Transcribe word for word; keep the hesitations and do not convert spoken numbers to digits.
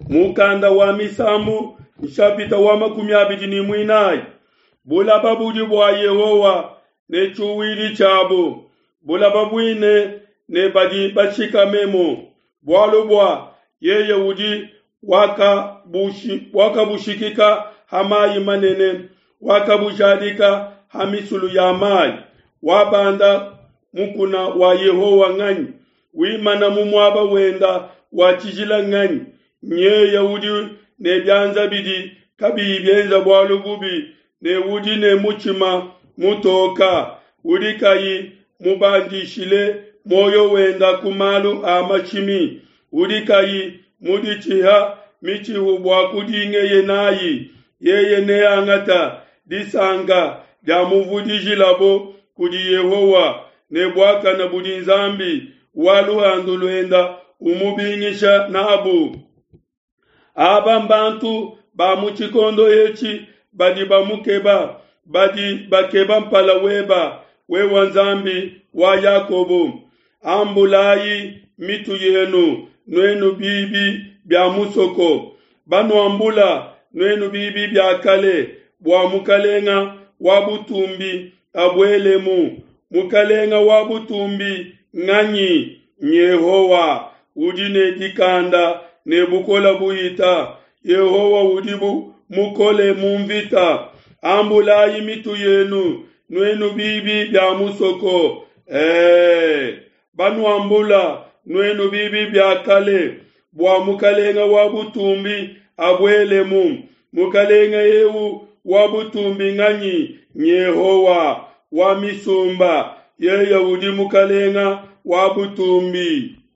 Mukanda wa Misambu nshapita wa makumi abidi ne muinayi. Bulaba budi bua Yehowa ne tshiuwidi tshiabu, bulaba buine ne badi bashikamemu, bualu bua yeye udi wakabushi, wakabushikika ha mayi manene, wakabujadika ha misulu ya mayi. Wabanda mukuna wa Yehowa nganyi? Wimana mu muaba wenda wa tshijila nganyi? Nyeye udi ne bianza bidi kabiyi bienza bualu bubi ne udi ne mutshima mutoka, udi kayi mubandishile muoyo wenda ku malu a mashimi, udi kayi muditshiha mitshihu bua kudingeye nayi, yeye neangata disanka diamuvudijilabo kudi Yehowa, ne buakana budi Nzambi wa luhandu luenda umubingisha nabu. Aba mbantu ba mu tshikondo etshi badi bamukeba, badi bakeba mpala weba, wewe Nzambi wa Yakobo. Ambulayi mitu yenu, nuenu bibi bia musoko, banuambula nuenu bibi bia kale, bua mukalenga wa butumbi abuelemu. Mukalenga wa butumbi nganyi? Nyehowa udi ne dikanda ne bukola buhita. Yehowa udi bu mukole mu mvita. Ambulayi mitu yenu, nuenu bibi bia musoko. Ee, banuambula nuenu bibi bia kale, bua mukalenga wa butumbi abuelemu. Mukalenga eu wa butumbi nganyi? Nyehowa wa misumba, yeye udi mukalenga wa butumbi.